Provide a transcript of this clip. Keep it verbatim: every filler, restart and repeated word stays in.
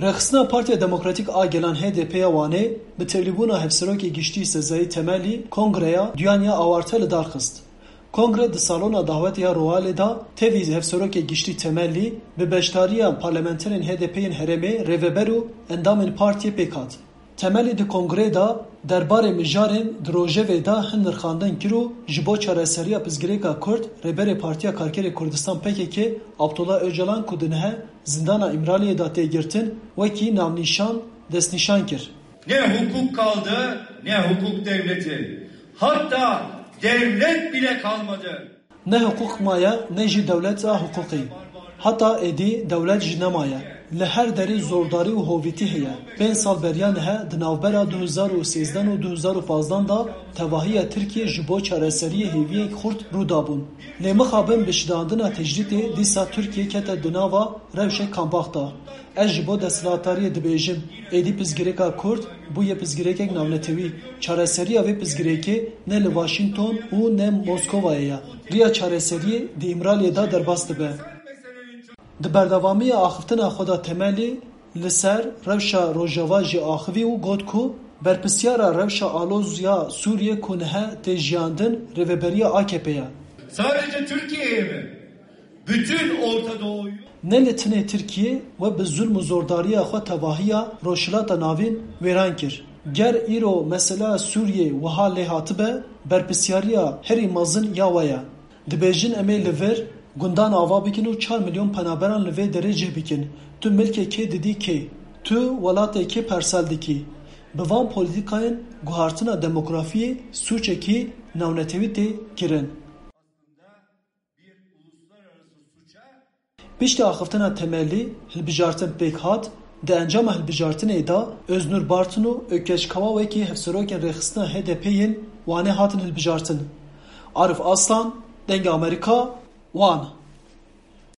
Rêxistina Partiya Demokratîk a Gelan H D P ya Wanê bi tevlîbûna Hevserokê Giştî Sezayî Temelî kongreya duyan ya awarte li dar xist. Kongre di salona dawetê ya Royalê de tevî Hevserokê Giştî Temelî bi beşdariya parlamenterên H D P yên herêmê, rêveber û endamên partiyê pêk hat. Temelî di kongreyê de derbarê mijarên di rojevê de hin nirxandin kir û ji bo çareseriya pirsgirêka Kurd Rêberê Partiya Karkerê Kurdistan P K K Abdullah Ocalan ku di nihe zindana Îmraliyê de tê girtin, wekî navnîşan destnîşan kir. Ne hukuk kaldı, ne hukuk devleti. Hatta devlet bile kalmadı. Ne hiqûq maye, ne jî dewlet a hiqûqî. Heta êdî dewlet jî nemaye. Li her derî zordarî û hovîtî heye. Pênc sal beriya nihe di navbera du hezar û sêzdeh û du hezar û pazdeh de tevahiya Tirkiyê ji bo çareseriyê hêviyek xurt rû dabûn. Lê mixabin bi şidandina tecrîdê dîsa Tirkiye kete di nava rewşek kambax de. Ez ji bo desthilatdariyê dibêjim, êdî pirsgirêka Kurd bûye pirsgirêkek navnetewî. Çareseriya vê pirsgirêkê ne li Washington û ne Moskovayê ye. Riya çareseriyê di Îmraliyê de derbas dibe. Di berdewamiya axiftina xwe de Temelî li ser rewşa Rojava jî axivî û got ku berpirsyara rewşa aloz ya Sûriyê ku nihe tê jiyandin rêveberiya A K P ye. Sadece Türkiye'ye mi? Bütün Orta Doğu'yu Ne li tinê Tirkiyê we bi zulm û zordariya xwe tevahiya Rojhilata Navîn wêran kir. Ger îro mesela Sûriyê wiha lê hatibe, berpirsyariya herî mezin ya we ye. Dibêjin em ê li vir gundan ava bikin û çar milyon penaberan li vê derê cih bikin. Tu milkê kê didî kê? Tu welatê kê persel dikî? Bi van polîtîkayên guhartina demografiyê sûcekî navnetewî tê kirin. Piştî axiftina Temelî hilbijartin pêk hat, di encama hilbijartinê de Öznur Bartın û Ökkeş Kawa wekî hevserokên rêxistina H D P yên Wanê hatin hilbijartin. Arif Aslan, Dengê Amerîka, Wan.